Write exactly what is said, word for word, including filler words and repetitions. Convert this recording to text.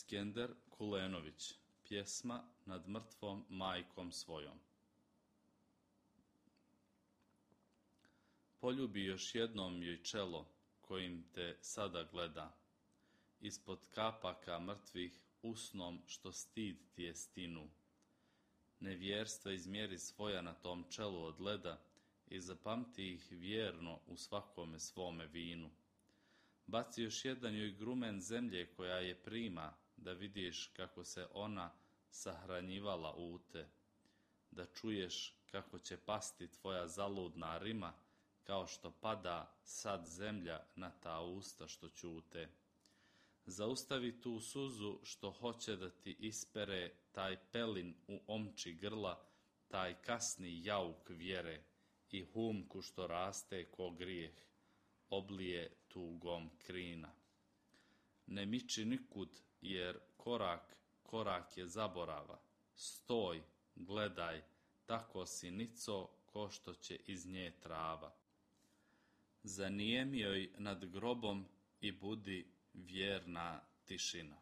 Skender Kulenović, pjesma Nad mrtvom majkom svojom. Poljubi još jednom joj čelo kojim te sada gleda, ispod kapaka mrtvih usnom što stid ti je stinu. Nevjerstva izmjeri svoja na tom čelu od leda i zapamti ih vjerno u svakome svome vinu. Baci još jedan joj grumen zemlje koja je prima, da vidiš kako se ona sahranjivala u te, da čuješ kako će pasti tvoja zaludna rima, kao što pada sad zemlja na ta usta što ćute. Zaustavi tu suzu što hoće da ti ispere taj pelin u omči grla, taj kasni jauk vjere i humku što raste ko grijeh, oblije tugom krina. Ne miči nikud, jer korak, korak je zaborava. Stoj, gledaj, tako si nico ko što će iz nje trava. Zanijem joj nad grobom i budi vjerna tišina.